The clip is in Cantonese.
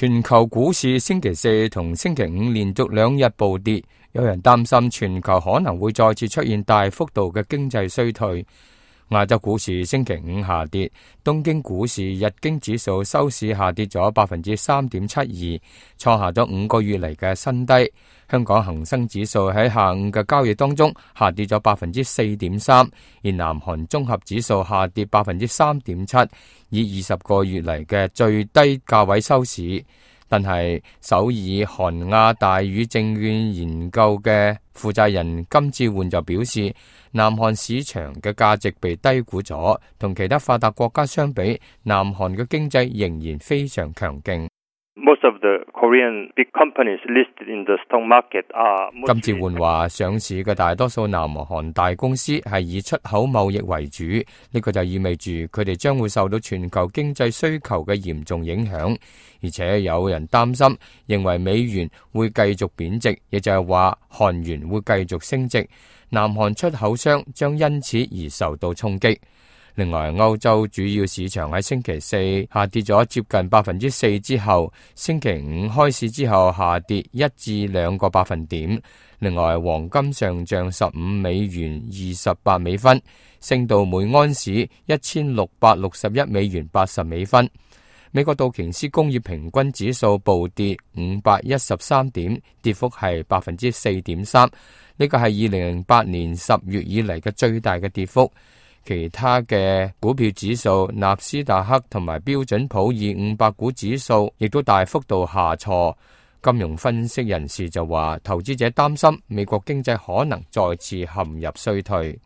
全球股市星期四同星期五連續兩日暴跌，有人擔心全球可能會再次出現大幅度嘅經濟衰退。亞洲股市星期五下跌，東京股市日經指數收市下跌咗3.72%，創下咗5個月嚟嘅新低。香港恒生指數喺下午嘅交易當中下跌咗4.3%，而南韓綜合指數下跌3.7%，以20個月嚟嘅最低價位收市。但係首爾韓亞大宇證券研究嘅負責人金志煥就表示，南韓市場嘅價值被低估咗，同其他發達國家相比，南韓嘅經濟仍然非常強勁。Most of the Korean big companies listed in the stock market are. 金志煥話，上市嘅大多數南韓大公司係以出口貿易為主，呢個就意味住佢哋將會受到全球經濟需求嘅嚴重影響，而且有人擔心，認為美元會繼續貶值，亦就係話韓元會繼續升值，南韓出口商將因此而受到衝擊。另外，歐洲主要市場喺星期四下跌咗接近4%之後，星期五開市之後下跌1至2個百分點。另外，黃金上漲15美元28美分，升到每盎司1661美元80美分。美國道瓊斯工業平均指數暴跌513點，跌幅係4.3%，呢個係2008年10月以嚟嘅最大嘅跌幅。其他嘅股票指數，納斯達克同埋標準普爾500股指數亦都大幅度下挫。金融分析人士就話，投資者擔心美國經濟可能再次陷入衰退。